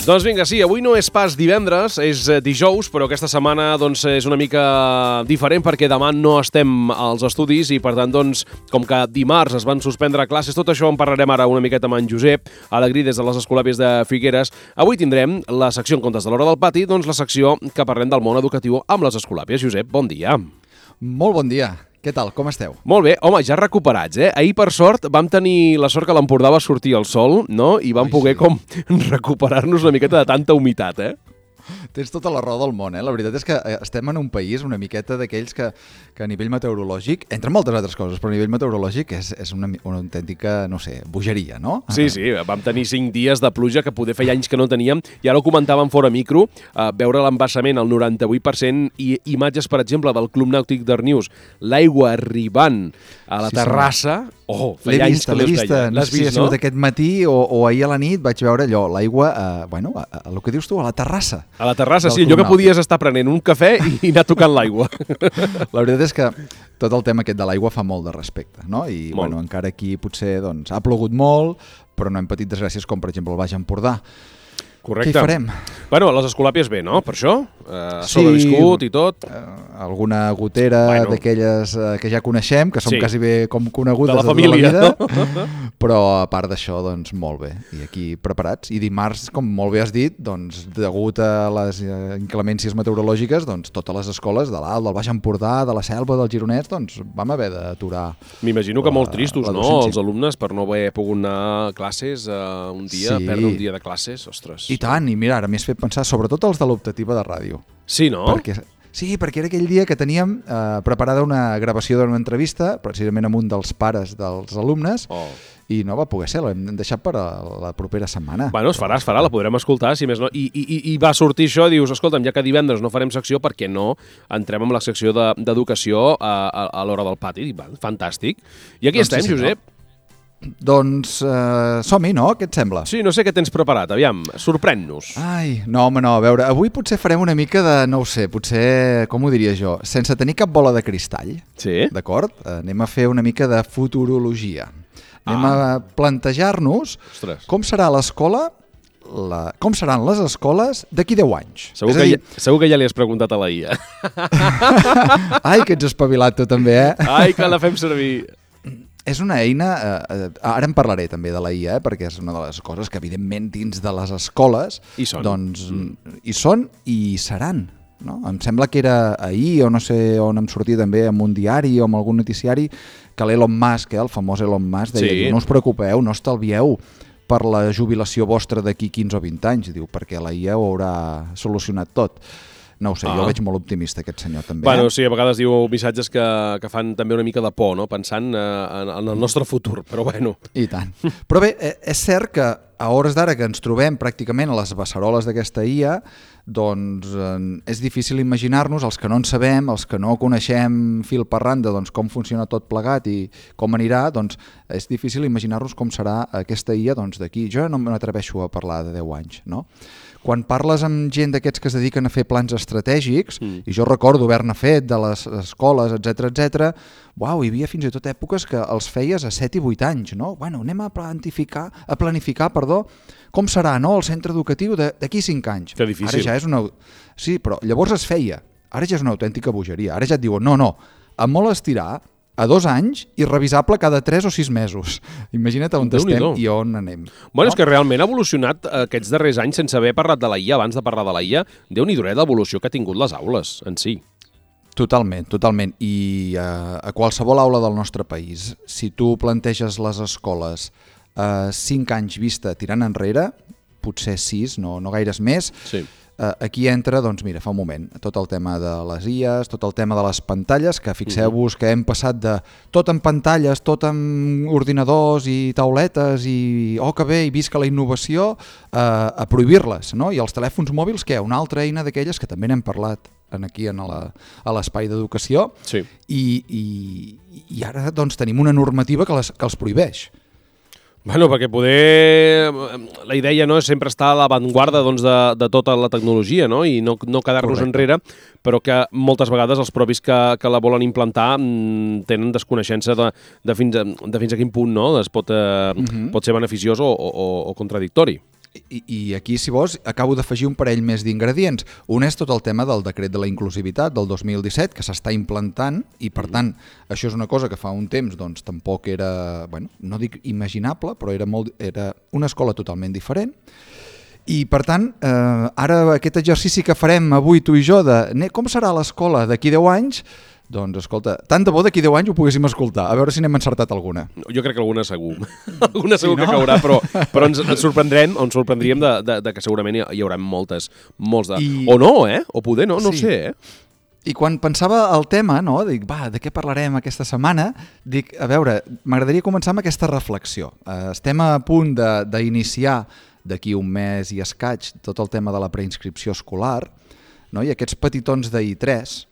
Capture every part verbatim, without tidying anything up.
Doncs vinga, sí, avui no és pas divendres, és dijous, però aquesta setmana doncs, és una mica diferent perquè demà no estem als estudis i, per tant, doncs, com que dimarts es van suspendre classes, tot això en parlarem ara una miqueta amb en Josep Alegrí des de les Escolàpies de Figueres. Avui tindrem la secció en comptes de l'hora del pati, doncs la secció que parlem del món educatiu amb les Escolàpies. Josep, bon dia. Molt bon dia. Què tal? Com esteu? Molt bé. Home, ja recuperats, eh? Ahir, per sort, vam tenir la sort que l'Empordà va sortir al sol, no? I vam Ai, poder sí. com recuperar-nos una miqueta de tanta humitat, eh? Tens tota la raó del món, eh? La veritat és que estem en un país una miqueta d'aquells que, que a nivell meteorològic, entre moltes altres coses, però a nivell meteorològic és, és una, una autèntica, no sé, bogeria, no? Sí, sí, vam tenir cinc dies de pluja que poder feia anys que no teníem, i ara ho comentàvem fora micro, eh, veure l'embassament al noranta-vuit per cent i imatges, per exemple, del Club Nàutic d'Arnius, l'aigua arribant a la sí, terrassa... Oh, feia anys que l'he vista, no sé si ha sigut aquest matí o, o ahir a la nit vaig veure allò, l'aigua, eh, bueno, a, a, el que dius tu, a la terrassa. A la terrassa, sí, allò que podies estar prenent un cafè i, i anar tocant l'aigua. La veritat és que tot el tema aquest de l'aigua fa molt de respecte, no? I molt. Bueno, encara aquí potser doncs, ha plogut molt, però no hem patit desgràcies com, per exemple, el Baix Empordà. Correcte. Què hi farem? Bueno, les Escolàpies bé, no? Per això? Eh, sí, sobreviscut i tot. Eh, alguna gotera bueno. d'aquelles eh, que ja coneixem, que són sí. quasi bé com conegudes de la família, de la vida, no? Però a part d'això, doncs molt bé. I aquí preparats. I dimarts, com molt bé has dit, doncs degut a les inclemències meteorològiques, doncs totes les escoles de l'Alt, del Baix Empordà, de la Selva, del Gironès, doncs vam haver d'aturar. M'imagino que la, molt tristos, no? Els alumnes per no haver pogut anar a classes uh, un dia, sí. perdre un dia de classes, ostres. I tant, i mira, ara m'hi has fet pensar, sobretot els de l'optativa de ràdio. Sí, no? Perquè, sí, perquè era aquell dia que teníem eh, preparada una gravació d'una entrevista, precisament amb un dels pares dels alumnes, oh. i no va poder ser, l'hem deixat per a la propera setmana. Bueno, es farà, es farà, la podrem escoltar, si més no. I, i, i va sortir això, dius, escolta'm, ja que divendres no farem secció, per què no entrem amb la secció d'educació de, a, a, a l'hora del pati? Va, fantàstic. I aquí doncs estem, sí, Josep. No? Doncs uh, som-hi, no? Què et sembla? Sí, no sé què tens preparat, aviam, sorprèn-nos. Ai, no, home, no, a veure, avui potser farem una mica de, no ho sé, potser, com ho diria jo, sense tenir cap bola de cristall, sí? D'acord? Uh, anem a fer una mica de futurologia. Anem ah. a plantejar-nos Ostres. Com serà l'escola, la... com seran les escoles d'aquí deu anys. Segur que, dir... ja, segur que ja li has preguntat a la I A. Ai, que ets espavilat tu també, eh? Ai, que la fem servir... És una eina, eh, ara en parlaré també de la I A, eh, perquè és una de les coses que evidentment dins de les escoles hi són, doncs, mm. hi són i hi seran. No? Em sembla que era ahir, o no sé on em sortia també, en un diari o en algun noticiari, que l'Elon Musk, eh, el famós Elon Musk, deia, sí. no us preocupeu, no estalvieu per la jubilació vostra d'aquí quinze o vint anys, diu, perquè la I A ho haurà solucionat tot. No ho sé, ah. jo veig molt optimista aquest senyor també. Bueno, eh? sí, a vegades diu missatges que, que fan també una mica de por, no? Pensant eh, en, en el nostre futur, però bueno. I tant. Però bé, és cert que a hores d'ara que ens trobem pràcticament a les beceroles d'aquesta I A, doncs eh, és difícil imaginar-nos, els que no en sabem, els que no coneixem fil per randa, doncs com funciona tot plegat i com anirà, doncs és difícil imaginar-nos com serà aquesta I A doncs d'aquí. Jo no m'atreveixo a parlar de deu anys, no? Quan parles amb gent d'aquests que es dediquen a fer plans estratègics, mm. i jo recordo haver-ne fet de les escoles, etcètera, etcètera, uau, hi havia fins i tot èpoques que els feies a set i vuit anys, no? Bueno, anem a planificar, a planificar, perdó, com serà, no?, el centre educatiu d'aquí cinc anys. Que difícil. Ara ja és una... Sí, però llavors es feia. Ara ja és una autèntica bogeria. Ara ja et diuen, no, no, a molt estirar, a dos anys i revisable cada tres o sis mesos. Imagina't on estem i on anem. Bueno, no? És que realment ha evolucionat aquests darrers anys sense haver parlat de la I A, abans de parlar de la I A, Déu-n'hi-do l'evolució que ha tingut les aules en si. Totalment, totalment. I uh, a qualsevol aula del nostre país, si tu planteges les escoles uh, cinc anys vista tirant enrere, potser sis, no, no gaires més, sí. Uh, aquí entra, doncs mira, fa un moment, tot el tema de les I As, tot el tema de les pantalles, que fixeu-vos que hem passat de tot en pantalles, tot en ordinadors i tauletes i oh que bé, i visca la innovació, uh, a prohibir-les, no? I els telèfons mòbils, què? Una altra eina d'aquelles que també n'hem parlat aquí en la, a l'espai d'educació, sí. i, i, i ara doncs tenim una normativa que, les, que els prohibeix. Bueno, perquè poder... La idea no és sempre estar a l'avantguarda doncs, de, de tota la tecnologia, no? I no, no quedar-nos enrere, però que moltes vegades els propis que, que la volen implantar tenen desconeixença de, de, fins, a, de fins a quin punt no? es pot, eh, uh-huh. pot ser beneficiós o, o, o contradictori. I, I aquí, si vols, acabo d'afegir un parell més d'ingredients. Un és tot el tema del decret de la inclusivitat del dos mil disset, que s'està implantant, i per tant, això és una cosa que fa un temps doncs, tampoc era, bueno, no dic imaginable, però era, molt, era una escola totalment diferent. I per tant, eh, ara aquest exercici que farem avui tu i jo de com serà l'escola d'aquí deu anys, doncs, escolta, tant de bo d'aquí deu anys ho poguéssim escoltar, a veure si n'hem encertat alguna. Jo crec que alguna segur. alguna segur sí, no? que caurà, però, però ens, ens sorprendrem, ens sorprendríem de, de, de que segurament hi, hi haurà moltes, molts de... I... O no, eh? O poder no, no sí. sé, eh? I quan pensava el tema, no, dic, va, de què parlarem aquesta setmana? Dic, a veure, m'agradaria començar amb aquesta reflexió. Uh, estem a punt d'iniciar d'aquí un mes i escaig tot el tema de la preinscripció escolar, no? I aquests petitons de I tres,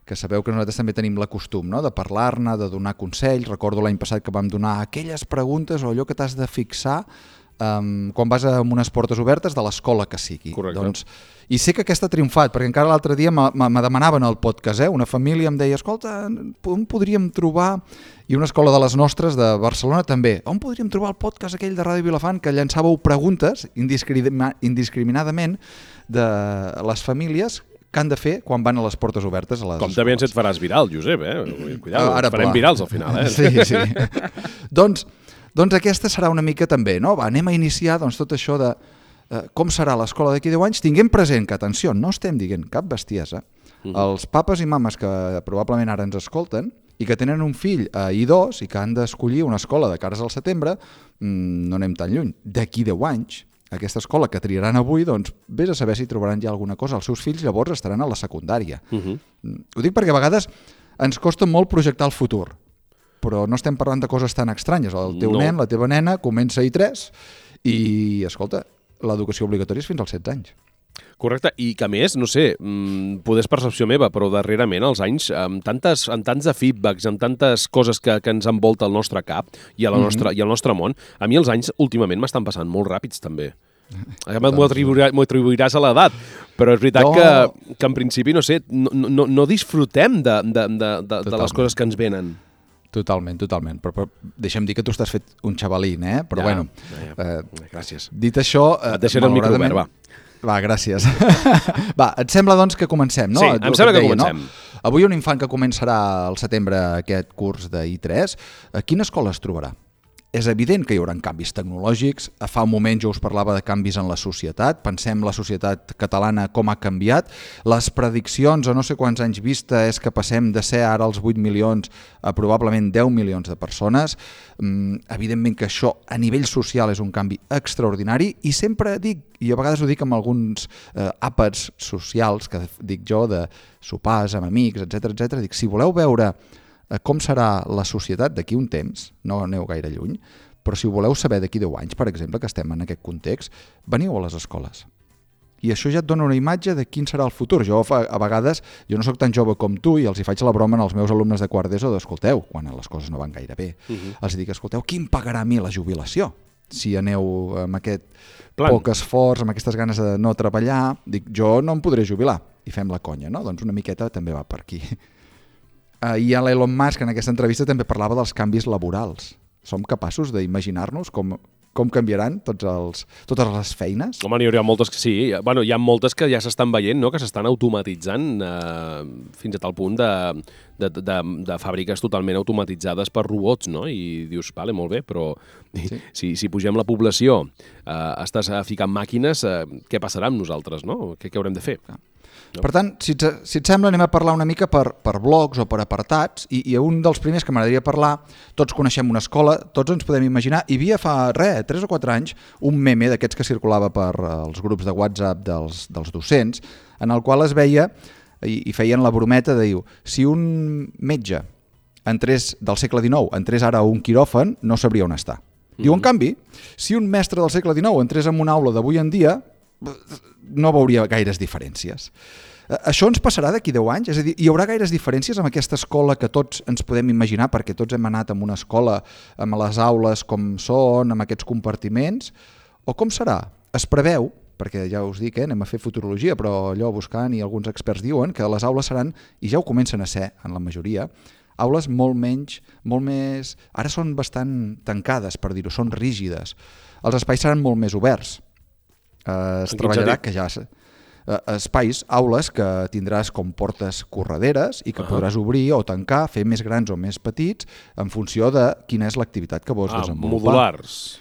que sabeu que nosaltres també tenim la costum, no? De parlar-ne, de donar consells. Recordo l'any passat que vam donar aquelles preguntes o allò que t'has de fixar um, quan vas a unes portes obertes de l'escola que sigui. Correcte. Doncs, i sé que aquesta ha triomfat, perquè encara l'altre dia me demanaven al podcast, eh? Una família em deia, escolta, on podríem trobar, i una escola de les nostres de Barcelona també, on podríem trobar el podcast aquell de Ràdio Vilafant que llançàveu preguntes indiscriminadament de les famílies que han de fer quan van a les portes obertes a les Com escoles. també ens et faràs viral, Josep, eh? Cuidado, Ara farem pla. virals al final, eh? Sí, sí. doncs, doncs aquesta serà una mica també, no? Va, anem a iniciar doncs, tot això de eh, com serà l'escola d'aquí deu anys, tinguem present que, atenció, no estem dient cap bestiesa. Uh-huh. Els papes i mames que probablement ara ens escolten i que tenen un fill a I dos i que han d'escollir una escola de cares al setembre, mmm, no anem tan lluny. D'aquí deu anys, aquesta escola que triaran avui, doncs vés a saber si trobaran ja alguna cosa. Els seus fills llavors estaran a la secundària. Uh-huh. Ho dic perquè a vegades ens costa molt projectar el futur, però no estem parlant de coses tan estranyes. El teu no. nen, la teva nena, comença a I tres i, escolta, l'educació obligatòria és fins als setze anys. Correcte, i que a més, no sé, poder és percepció meva, però darrerament els anys, amb, tantes, amb tants de feedbacks, amb tantes coses que, que ens envolta el nostre cap i, a la nostra, mm-hmm. i el nostre món, a mi els anys últimament m'estan passant molt ràpids també. M'ho atribuiràs a l'edat, però és veritat no. que, que en principi, no sé, no, no, no disfrutem de, de, de, de, de les coses que ens venen. Totalment, totalment. Però, però deixa'm dir que tu estàs fet un xavalín, eh? Però ja, bueno, ja, ja. Eh, gràcies. Dit això... Et deixaré el micro obert, va. Va, gràcies. Va, et sembla doncs que comencem, no? Sí, em el sembla que, que deia, comencem. No? Avui un infant que començarà al setembre aquest curs de I tres, a quina escola es trobarà? És evident que hi haurà canvis tecnològics. Fa un moment jo us parlava de canvis en la societat. Pensem la societat catalana com ha canviat. Les prediccions a no sé quants anys vista és que passem de ser ara els vuit milions a probablement deu milions de persones. Mm, evidentment que això a nivell social és un canvi extraordinari i sempre dic, i a vegades ho dic amb alguns eh, àpats socials que dic jo de sopars amb amics, etcètera, etcètera, dic, si voleu veure com serà la societat d'aquí un temps, no aneu gaire lluny, però si ho voleu saber d'aquí deu anys, per exemple, que estem en aquest context, veniu a les escoles. I això ja et dona una imatge de quin serà el futur. Jo a vegades, jo no sóc tan jove com tu i els hi faig la broma als meus alumnes de quart d'ESO d'escolteu, quan les coses no van gaire bé. Uh-huh. Els dic, escolteu, qui em pagarà a mi la jubilació? Si aneu amb aquest Plan. poc esforç, amb aquestes ganes de no treballar, dic, jo no em podré jubilar. I fem la conya, no? Doncs una miqueta també va per aquí. Uh, I l'Elon Musk en aquesta entrevista també parlava dels canvis laborals. Som capaços d'imaginar-nos com, com canviaran tots els, totes les feines? Home, n'hi hauria moltes que sí. Bueno, hi ha moltes que ja s'estan veient, no? Que s'estan automatitzant eh, fins a tal punt de, de, de, de fàbriques totalment automatitzades per robots, no? I dius, vale, molt bé, però sí. si, si pugem la població, eh, estàs ficant màquines, eh, què passarà amb nosaltres, no? Què, què haurem de fer? No. Per tant, si et, si et sembla, anem a parlar una mica per, per blocs o per apartats, i, i un dels primers que m'agradaria parlar, tots coneixem una escola, tots ens podem imaginar, hi havia fa, res, tres o quatre anys, un meme d'aquests que circulava per els grups de WhatsApp dels, dels docents, en el qual es veia, i, i feien la brometa de dir, si un metge entrés del segle dinou, entrés ara a un quiròfan, no sabria on està. Mm-hmm. Diu, en canvi, si un mestre del segle dinou entrés en una aula d'avui en dia, no veuria gaires diferències. Això ens passarà d'aquí deu anys? És a dir, hi haurà gaires diferències amb aquesta escola que tots ens podem imaginar, perquè tots hem anat a una escola amb les aules com són, amb aquests compartiments? O com serà? Es preveu, perquè ja us dic, eh, anem a fer futurologia, però allò buscant i alguns experts diuen que les aules seran, i ja ho comencen a ser en la majoria, aules molt menys, molt més... Ara són bastant tancades, per dir-ho, són rígides. Els espais seran molt més oberts. eh, es treballarà que ja... Eh, espais, aules que tindràs com portes correderes i que uh -huh. podràs obrir o tancar, fer més grans o més petits en funció de quina és l'activitat que vols ah, desenvolupar. Modulars.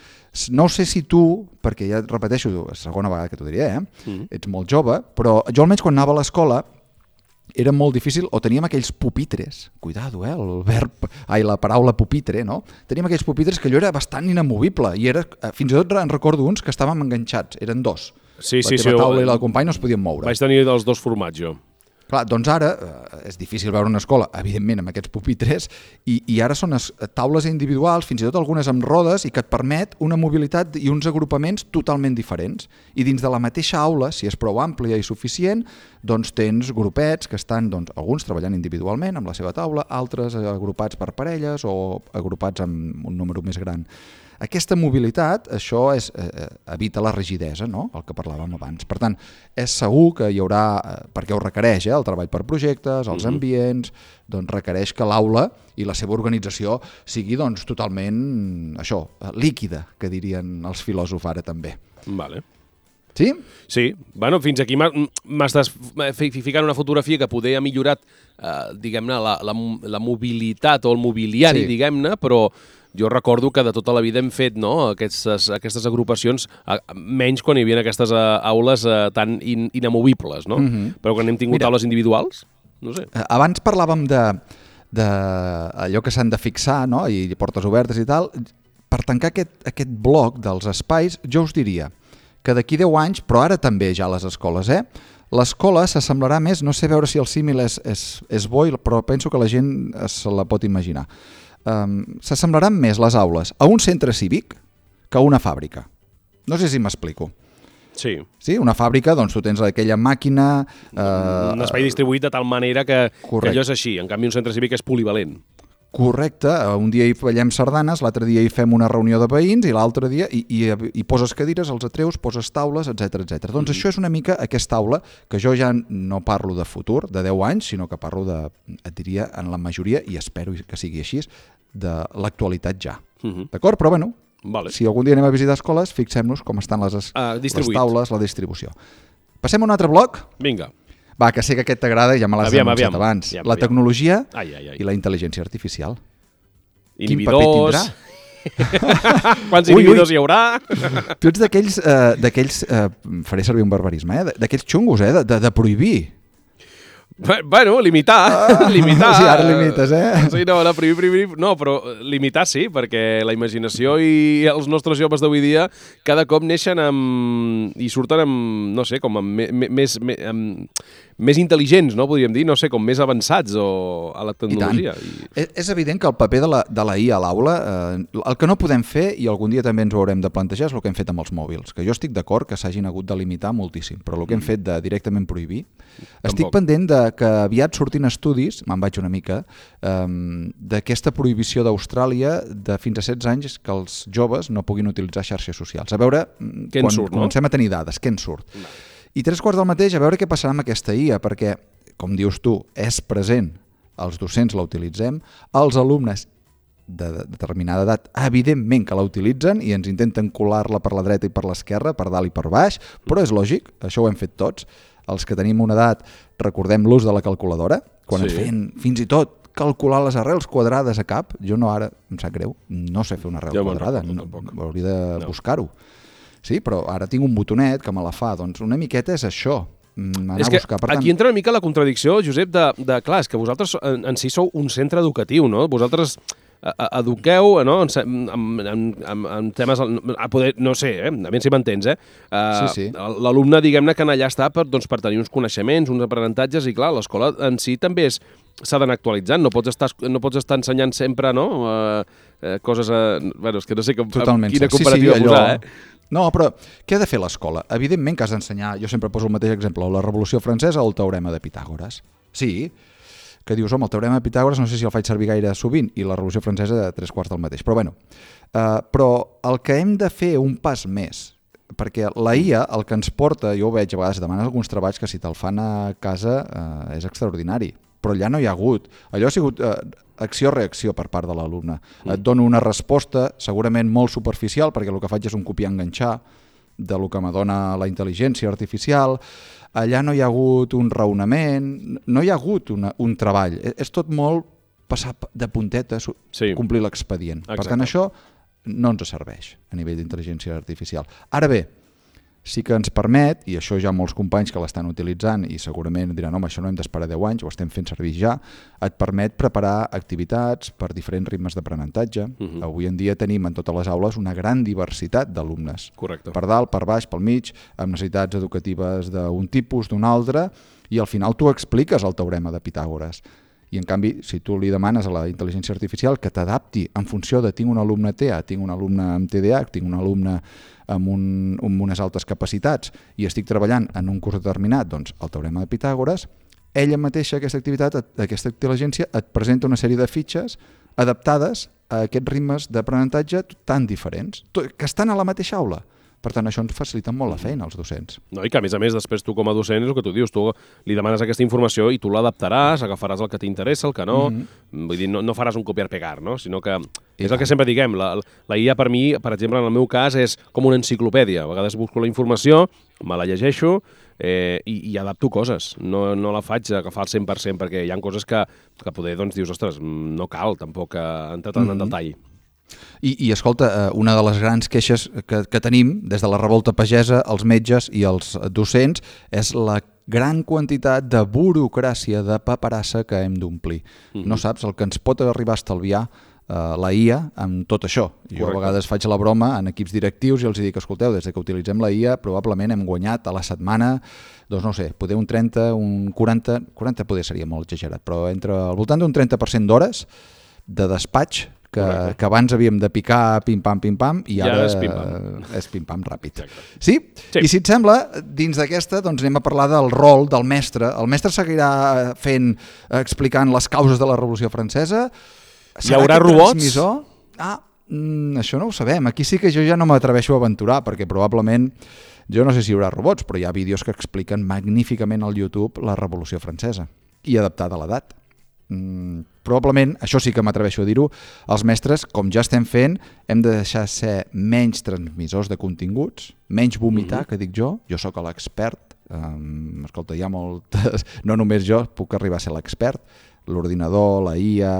No sé si tu, perquè ja et repeteixo, la segona vegada que t'ho diré, eh? Mm. Ets molt jove, però jo almenys quan anava a l'escola era molt difícil, o teníem aquells pupitres, cuidado, eh, el verb, ai, la paraula pupitre, no? Teníem aquells pupitres que allò era bastant inamovible i era, fins i tot en recordo uns que estàvem enganxats, eren dos. Sí, la sí, teva sí, taula i la del company no es podien moure. Vaig tenir els dos formats, jo. Clar, doncs ara eh, és difícil veure una escola, evidentment, amb aquests pupitres, i, i ara són es, taules individuals, fins i tot algunes amb rodes, i que et permet una mobilitat i uns agrupaments totalment diferents. I dins de la mateixa aula, si és prou àmplia i suficient, doncs tens grupets que estan, doncs, alguns treballant individualment amb la seva taula, altres agrupats per parelles o agrupats amb un número més gran. Aquesta mobilitat, això és, eh, evita la rigidesa, no? El que parlàvem abans. Per tant, és segur que hi haurà, eh, perquè ho requereix, eh, el treball per projectes, els ambients, doncs requereix que l'aula i la seva organització sigui doncs, totalment, això, líquida, que dirien els filòsofs ara també. Vale. Sí? Sí. Bueno, fins aquí m'estàs ficant una fotografia que poder ha millorat, eh, diguem-ne, la, la, la mobilitat o el mobiliari, sí. diguem-ne, però jo recordo que de tota la vida hem fet, no, aquestes, aquestes agrupacions, menys quan hi havia aquestes aules tan in, inamovibles, no? Mm-hmm. Però quan hem tingut Mira, aules individuals, no sé. Abans parlàvem de, de allò que s'han de fixar, no?, i portes obertes i tal. Per tancar aquest, aquest bloc dels espais, jo us diria que d'aquí deu anys, però ara també ja a les escoles, eh? L'escola s'assemblarà més, no sé veure si el símil és, és, és bo, però penso que la gent se la pot imaginar. Um, s'assemblaran més les aules a un centre cívic que a una fàbrica. No sé si m'explico. Sí. Sí, una fàbrica, doncs tu tens aquella màquina... Uh, un espai distribuït de tal manera que, que allò és així. En canvi, un centre cívic és polivalent. Correcte. Un dia hi ballem sardanes, l'altre dia hi fem una reunió de veïns i l'altre dia hi, hi, hi poses cadires, els atreus, poses taules, etcètera, etcètera. Doncs mm-hmm. això és una mica aquesta aula que jo ja no parlo de futur, de deu anys, sinó que parlo de, et diria, en la majoria, i espero que sigui així, de l'actualitat ja. Mm-hmm. D'acord? Però bueno, vale. Si algun dia anem a visitar escoles, fixem-nos com estan les, uh, les taules, la distribució. Passem a un altre bloc? Vinga. Va, que sé que aquest t'agrada, ja me l'has anunciat abans. Aviam, la tecnologia ai, ai, ai. i la intel·ligència artificial. Inhibidors... Quants inhibidors hi haurà? Tu ets d'aquells, uh, d'aquells uh, faré servir un barbarisme, eh? d'aquells xungos, eh? de, de, de prohibir. Bueno, limitar, ah, limitar. Sí, ara limites, eh? Sí, no, no, prohibir, prohibir, no, però limitar sí, perquè la imaginació i els nostres joves d'avui dia cada cop neixen amb... i surten amb, no sé, com amb més, més, amb, més intel·ligents, no, podríem dir, no sé, com més avançats o a la tecnologia. I I... És evident que el paper de la, de la I A a l'aula, eh, el que no podem fer, i algun dia també ens ho haurem de plantejar, és el que hem fet amb els mòbils, que jo estic d'acord que s'hagin hagut de limitar moltíssim, però el que hem fet de directament prohibir, Tampoc. estic pendent de que aviat sortin estudis, me'n vaig una mica, um, d'aquesta prohibició d'Austràlia de fins a setze anys que els joves no puguin utilitzar xarxes socials. A veure, què quan surt, comencem no? a tenir dades, què en surt? No. I tres quarts del mateix, a veure què passarà amb aquesta I A, perquè, com dius tu, és present, els docents la utilitzem, els alumnes de determinada edat, evidentment que la utilitzen i ens intenten colar-la per la dreta i per l'esquerra, per dalt i per baix, però és lògic, això ho hem fet tots. Els que tenim una edat, recordem l'ús de la calculadora, quan sí. ens feien fins i tot calcular les arrels quadrades a cap. Jo no, ara, em sap greu, no sé fer una arrel ja quadrada, no, hauria de no. buscar-ho. Sí, però ara tinc un botonet que me la fa, doncs una miqueta és això, anar és que a buscar. Per tant... aquí entra una mica la contradicció, Josep, de, de clar, és que vosaltres en, en si sou un centre educatiu, no? Vosaltres eduqueu, no? en, en, en, en temes, a poder, no sé, eh? a veure si m'entens, eh? Uh, sí, sí. L'alumne, diguem-ne, que allà està per, doncs, per tenir uns coneixements, uns aprenentatges, i clar, l'escola en si també és s'ha d'anar actualitzant, no pots estar, no pots estar ensenyant sempre, no? Uh, uh, coses, a... bueno, és que no sé com, quina comparativa sí, sí, posar, eh? No, però què ha de fer l'escola? Evidentment que has d'ensenyar, jo sempre poso el mateix exemple, la Revolució Francesa o el teorema de Pitàgores. Sí, que dius, home, el teorema de Pitàgores no sé si el faig servir gaire sovint, i la Revolució Francesa de tres quarts del mateix. Però bueno, uh, però el que hem de fer un pas més, perquè la I A el que ens porta, jo ho veig a vegades, demanes alguns treballs que si te'l fan a casa uh, és extraordinari, però allà no hi ha hagut. Allò ha sigut uh, acció-reacció per part de l'alumne. Mm. Et dono una resposta segurament molt superficial, perquè el que faig és un copiar-enganxar, de lo que m'adona la intel·ligència artificial, allà no hi ha hagut un raonament, no hi ha hagut una, un treball. És tot molt passar de puntetes, sí. complir l'expedient. Per tant, això no ens serveix a nivell d'intel·ligència artificial. Ara bé, sí que ens permet, i això ja molts companys que l'estan utilitzant i segurament diran, home, això no hem d'esperar deu anys, ho estem fent servir ja, et permet preparar activitats per diferents ritmes d'aprenentatge. Uh-huh. Avui en dia tenim en totes les aules una gran diversitat d'alumnes. Correcte. Per dalt, per baix, pel mig, amb necessitats educatives d'un tipus, d'un altre, i al final tu expliques el teorema de Pitàgores. I en canvi, si tu li demanes a la intel·ligència artificial que t'adapti en funció de tinc un alumne T E A, tinc un alumne amb T D A H, tinc un alumne amb, un, amb unes altes capacitats i estic treballant en un curs determinat, doncs el teorema de Pitàgores, ella mateixa, aquesta activitat, aquesta intel·ligència, et presenta una sèrie de fitxes adaptades a aquests ritmes d'aprenentatge tan diferents, que estan a la mateixa aula. Per tant, això ens facilita molt la feina als docents. No, i que, a més a més, després tu com a docent és el que tu dius, tu li demanes aquesta informació i tu l'adaptaràs, agafaràs el que t'interessa, el que no, mm-hmm. vull dir, no, no faràs un copiar-pegar, no? Sinó que és el que sempre diguem, la, la I A per mi, per exemple, en el meu cas, és com una enciclopèdia. A vegades busco la informació, me la llegeixo eh, i, i adapto coses. No, no la faig agafar al cent per cent perquè hi ha coses que, que poder, doncs, dius, ostres, no cal tampoc entrar tant mm-hmm. en detall. I, i escolta, una de les grans queixes que, que tenim des de la revolta pagesa, els metges i els docents, és la gran quantitat de burocràcia, de paperassa que hem d'omplir. Mm-hmm. No saps el que ens pot arribar a estalviar uh, la I A amb tot això. Jo Correcte. A vegades faig la broma en equips directius i els dic, escolteu, des que utilitzem la I A probablement hem guanyat a la setmana, doncs no sé, poder un trenta, un quaranta, quaranta poder seria molt exagerat, però entre al voltant d'un trenta per cent d'hores de despatx Que, que abans havíem de picar pim-pam, pim-pam, i ara, ara és pim-pam. És pim-pam ràpid. Sí? sí? I si et sembla, dins d'aquesta doncs anem a parlar del rol del mestre. El mestre seguirà fent, explicant les causes de la Revolució Francesa? Hi haurà robots? Transmissor? Ah, mm, això no ho sabem. Aquí sí que jo ja no m'atreveixo a aventurar, perquè probablement, jo no sé si hi haurà robots, però hi ha vídeos que expliquen magníficament al YouTube la Revolució Francesa, i adaptada a l'edat. Mm, probablement, això sí que m'atreveixo a dir-ho, els mestres, com ja estem fent, hem de deixar ser menys transmissors de continguts, menys vomitar, mm-hmm. que dic jo, jo sóc l'expert, um, escolta, hi ha moltes, no només jo puc arribar a ser l'expert, l'ordinador, la I A,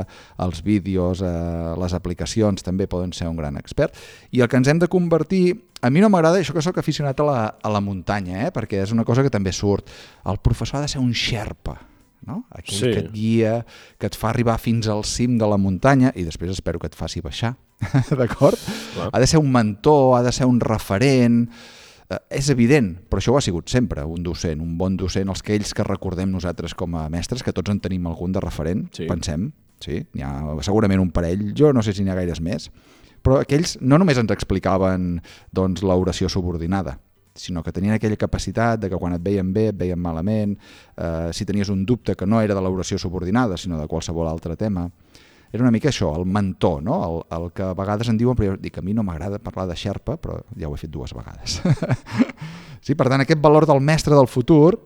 els vídeos, eh, les aplicacions també poden ser un gran expert, i el que ens hem de convertir, a mi no m'agrada això que sóc aficionat a la, a la muntanya, eh, perquè és una cosa que també surt, el professor ha de ser un xerpa, no? Aquell sí. que et guia, que et fa arribar fins al cim de la muntanya i després espero que et faci baixar, d'acord? Ha de ser un mentor, ha de ser un referent, eh, és evident, però això ho ha sigut sempre, un docent, un bon docent, els que ells que recordem nosaltres com a mestres, que tots en tenim algun de referent, sí. pensem, sí? N'hi ha segurament un parell, jo no sé si n'hi ha gaires més, però aquells no només ens explicaven doncs, l'oració subordinada, sinó que tenien aquella capacitat de que quan et veien bé, et veien malament, eh, si tenies un dubte que no era de l'oració subordinada, sinó de qualsevol altre tema. Era una mica això, el mentor, no? el, el que a vegades en diuen, però jo dic, a mi no m'agrada parlar de xerpa, però ja ho he fet dues vegades. Sí, per tant, aquest valor del mestre del futur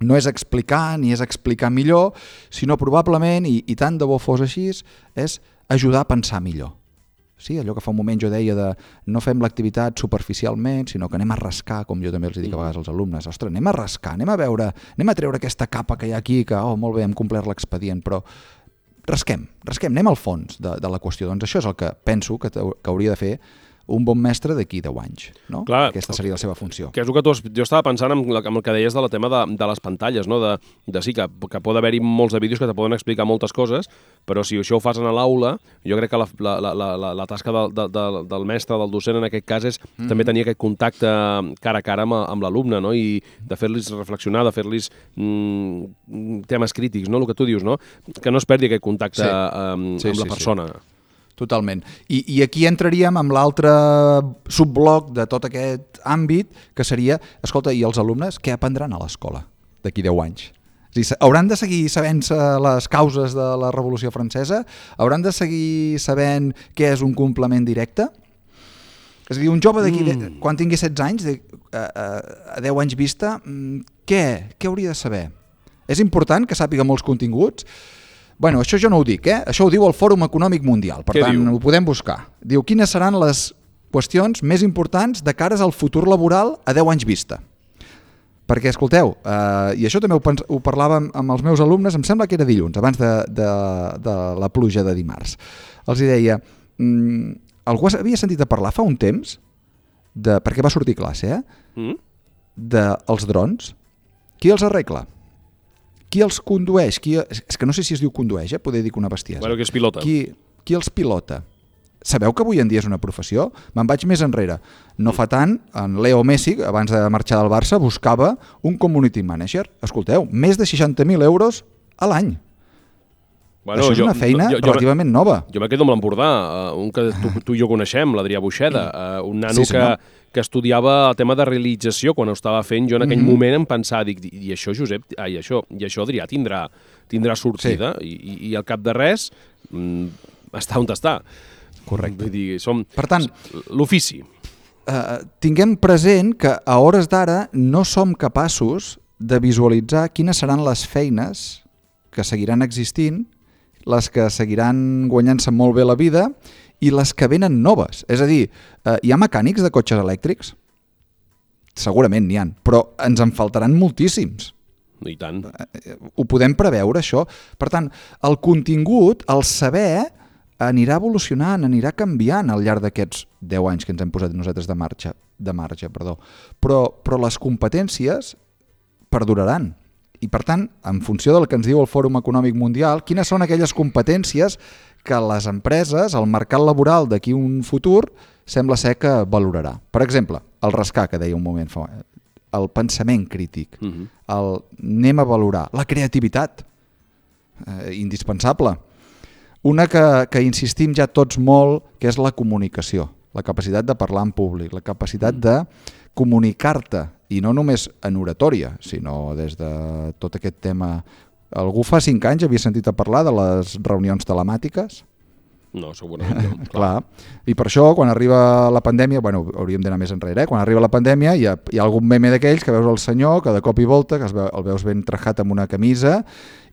no és explicar ni és explicar millor, sinó probablement, i, i tant de bo fos així, és ajudar a pensar millor. Sí, allò que fa un moment jo deia de no fem l'activitat superficialment, sinó que anem a rascar, com jo també els dic a vegades als alumnes. Ostres, anem a rascar, anem a veure, anem a treure aquesta capa que hi ha aquí, que, oh, molt bé, hem complert l'expedient, però rasquem, rasquem, anem al fons de, de la qüestió. Doncs això és el que penso que, que hauria de fer un bon mestre d'aquí deu anys, no? Clar, aquesta seria la seva funció. Que és el que tu has, jo estava pensant en, la, en el que deies del tema de, de les pantalles, no? de, de sí, que, que pot haver-hi molts de vídeos que te poden explicar moltes coses, però si això ho fas a l'aula, jo crec que la, la, la, la, la tasca de, de, de, del mestre, del docent en aquest cas, és mm. també tenir aquest contacte cara a cara amb, amb l'alumne, no? I de fer-los reflexionar, de fer-los mm, temes crítics, no? El que tu dius, no? Que no es perdi aquest contacte sí. amb, sí, amb la sí, persona. Sí. Totalment. I, I aquí entraríem amb l'altre subbloc de tot aquest àmbit, que seria, escolta, i els alumnes què aprendran a l'escola d'aquí deu anys? És a dir, hauran de seguir sabent les causes de la Revolució Francesa? Hauran de seguir sabent què és un complement directe? És a dir, un jove d'aquí, mm. quan tingui setze anys, de, a, a, a deu anys vista, què? Què hauria de saber? És important que sàpiga molts continguts? Bueno, això jo no ho dic, eh? Això ho diu el Fòrum Econòmic Mundial, per Què tant diu? Ho podem buscar. Diu, quines seran les qüestions més importants de cares al futur laboral a deu anys vista. Perquè, escolteu, eh, i això també ho, pens- ho parlàvem amb els meus alumnes, em sembla que era dilluns, abans de, de, de la pluja de dimarts. Els hi deia, mm, algú havia sentit a parlar fa un temps, de, perquè va sortir classe, eh? Mm? dels drons. Qui els arregla? Qui els condueix? Qui, és que no sé si es diu condueix, eh? Poder dir que una bestiesa. Bueno, que és pilota. Qui, qui els pilota? Sabeu que avui en dia és una professió? Me'n vaig més enrere. No fa tant, en Leo Messi, abans de marxar del Barça, buscava un community manager. Escolteu, més de seixanta mil euros a l'any. Bueno, això és jo, una feina jo, jo, relativament nova. Jo me quedo amb l'Empordà, uh, un que tu, tu i jo coneixem, l'Adrià Buixeda, uh, un nano sí, que, que estudiava el tema de realització quan ho estava fent. Jo en aquell mm-hmm. moment em pensava, dic, i això, Josep, ai, això, i això Adrià tindrà, tindrà sortida, sí. I, i, i al cap de res mm, està on està. Correcte. Vull dir, som... Per tant, l'ofici. Uh, tinguem present que a hores d'ara no som capaços de visualitzar quines seran les feines que seguiran existint, les que seguiran guanyant-se molt bé la vida i les que venen noves. És a dir, uh, hi ha mecànics de cotxes elèctrics? Segurament n'hi ha, però ens en faltaran moltíssims. I tant. Uh, ho podem preveure, això. Per tant, el contingut, el saber, anirà evolucionant, anirà canviant al llarg d'aquests deu anys que ens hem posat nosaltres de marxa, de marxa, perdó. Però, però les competències perduraran. I, per tant, en funció del que ens diu el Fòrum Econòmic Mundial, quines són aquelles competències que les empreses, el mercat laboral d'aquí un futur, sembla ser que valorarà. Per exemple, el rascar, que deia un moment fa, el pensament crític, uh-huh. el anem a valorar, la creativitat, eh, indispensable. Una que, que insistim ja tots molt, que és la comunicació, la capacitat de parlar en públic, la capacitat de comunicar-te, i no només en oratòria, sinó des de tot aquest tema. Algú fa cinc anys havia sentit a parlar de les reunions telemàtiques? No, segurament no. Clar. I per això, quan arriba la pandèmia, bueno, hauríem d'anar més enrere, eh? Quan arriba la pandèmia hi ha, hi ha algun meme d'aquells que veus el senyor que de cop i volta, que es veu, el veus ben trajat amb una camisa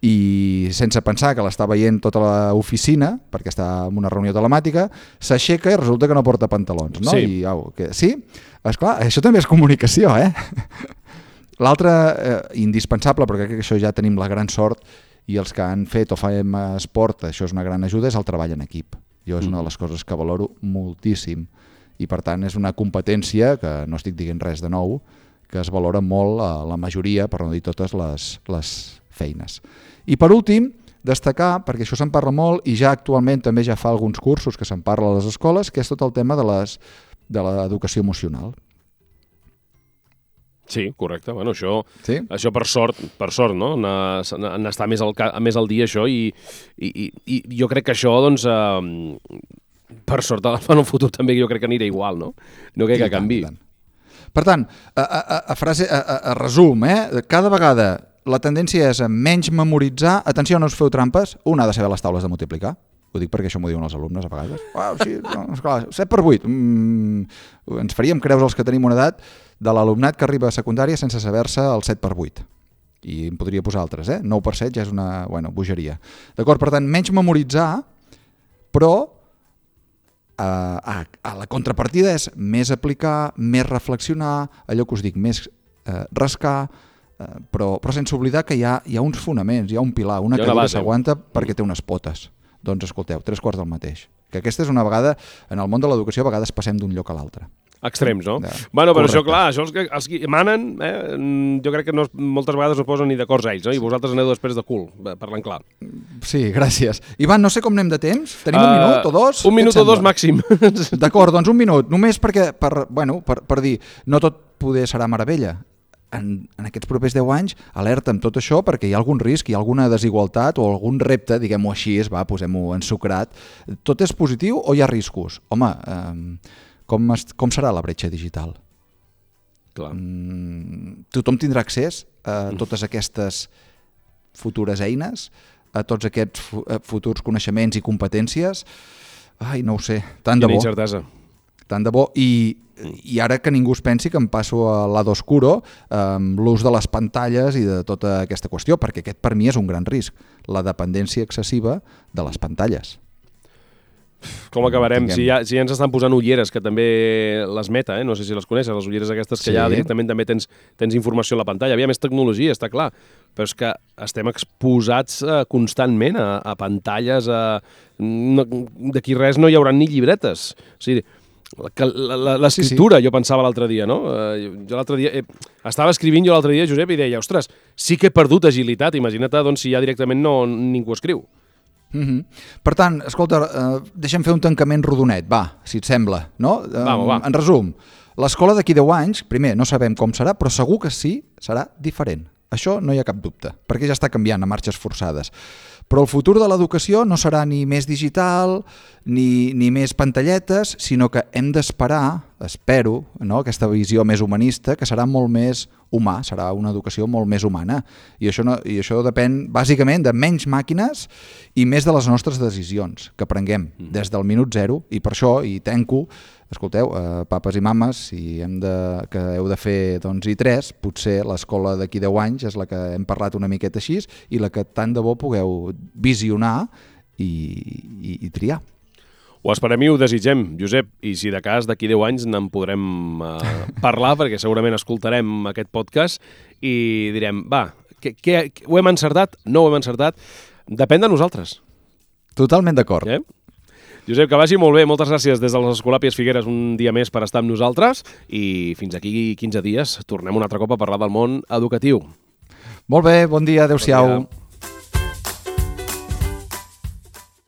i sense pensar que l'està veient tota l'oficina, perquè està en una reunió telemàtica, s'aixeca i resulta que no porta pantalons. No? Sí. I, au, que, sí? Esclar, això també és comunicació, eh? L'altre, eh, indispensable, perquè crec que això ja tenim la gran sort, i els que han fet o fem esport, això és una gran ajuda, és el treball en equip. Jo és una de les coses que valoro moltíssim i per tant és una competència que no estic dient res de nou, que es valora molt a la majoria, per no dir totes les, les feines. I per últim, destacar, perquè això se'n parla molt i ja actualment també ja fa alguns cursos que se'n parla a les escoles, que és tot el tema de les, de l'educació emocional. Sí, correcte. Bueno, això, sí? això per sort, per sort, no? N'està més al, més al dia això i, i, i jo crec que això, doncs, eh, per sort en el futur també jo crec que anirà igual, no? No crec que canvi. Per tant, a, a, a, frase, a, a, a resum, eh? Cada vegada la tendència és a menys memoritzar, atenció, no us feu trampes, un ha de saber les taules de multiplicar. Ho dic perquè això m'ho diuen els alumnes a vegades. Uau, sí, no, esclar, set per vuit. Mm, ens faríem creus els que tenim una edat de l'alumnat que arriba a secundària sense saber-se el set per vuit. I em podria posar altres, eh? nou per set ja és una, bueno, bogeria. D'acord, per tant, menys memoritzar, però eh, a, a la contrapartida és més aplicar, més reflexionar, allò que us dic, més eh, rascar, eh, però, però sense oblidar que hi ha, hi ha uns fonaments, hi ha un pilar, una cadira s'aguanta perquè té unes potes. Doncs escolteu, tres quarts del mateix. Que aquesta és una vegada, en el món de l'educació, a vegades passem d'un lloc a l'altre. Extrems, no? De... Bueno, però Correcte. Això, clar, això els que, els que manen, eh, jo crec que no, moltes vegades no posen ni d'acords ells, no? I vosaltres aneu després de cul, parlant clar. Sí, gràcies. Ivan, no sé com anem de temps. Tenim uh, un minut o dos? Un minut o dos màxim. D'acord, doncs un minut. Només perquè, per, bueno, per, per dir, no tot poder serà meravella. En, en aquests propers deu anys, alerta amb tot això perquè hi ha algun risc, hi ha alguna desigualtat o algun repte, diguem-ho així, va, posem-ho ensucrat. Tot és positiu o hi ha riscos? Home, eh, com, es, com serà la bretxa digital? Clar. Mm, tothom tindrà accés a totes aquestes futures eines, a tots aquests futurs coneixements i competències? Ai, no ho sé, tant de bo. Quina incertesa. Tant de bo. I I ara que ningú es pensi que em passo a l'ado oscuro amb l'ús de les pantalles i de tota aquesta qüestió, perquè aquest per mi és un gran risc, la dependència excessiva de les pantalles. Com acabarem? Si ja, si ja ens estan posant ulleres, que també les Meta, eh? No sé si les coneixes, les ulleres aquestes que sí. Ja directament també tens, tens informació a la pantalla. Havia més tecnologia, està clar, però és que estem exposats uh, constantment a, a pantalles, a... No, d'aquí res no hi haurà ni llibretes. O sigui, l'escriptura, sí, sí. Jo pensava l'altre dia, no? Uh, jo l'altre dia... Eh, estava escrivint jo l'altre dia, Josep, i deia, ostres, sí que he perdut agilitat, imagina't doncs, si ja directament no, ningú escriu. Mm-hmm. Per tant, escolta, uh, deixem fer un tancament rodonet, va, si et sembla, no? Va, va. En resum, l'escola d'aquí deu anys, primer, no sabem com serà, però segur que sí, serà diferent. Això no hi ha cap dubte, perquè ja està canviant a marxes forçades. Però el futur de l'educació no serà ni més digital ni, ni més pantalletes, sinó que hem d'esperar, espero, no? Aquesta visió més humanista, que serà molt més humà, serà una educació molt més humana. I això, no, i això depèn bàsicament de menys màquines i més de les nostres decisions que prenguem des del minut zero. I per això, i tanco, escolteu, eh, papes i mames, si hem de, que heu de fer doncs, i tres, potser l'escola d'aquí deu anys és la que hem parlat una miqueta així i la que tant de bo pugueu visionar i, i, i triar. Ho esperem i ho desitgem, Josep, i si de cas d'aquí deu anys n'en podrem uh, parlar, perquè segurament escoltarem aquest podcast i direm, va, que, que, ho hem encertat? No ho hem encertat? Depèn de nosaltres. Totalment d'acord. Eh? Josep, que vagi molt bé, moltes gràcies des de les Escolàpies Figueres un dia més per estar amb nosaltres i fins aquí quinze dies tornem un altre cop a parlar del món educatiu. Molt bé, bon dia, adeu-siau. Bon dia.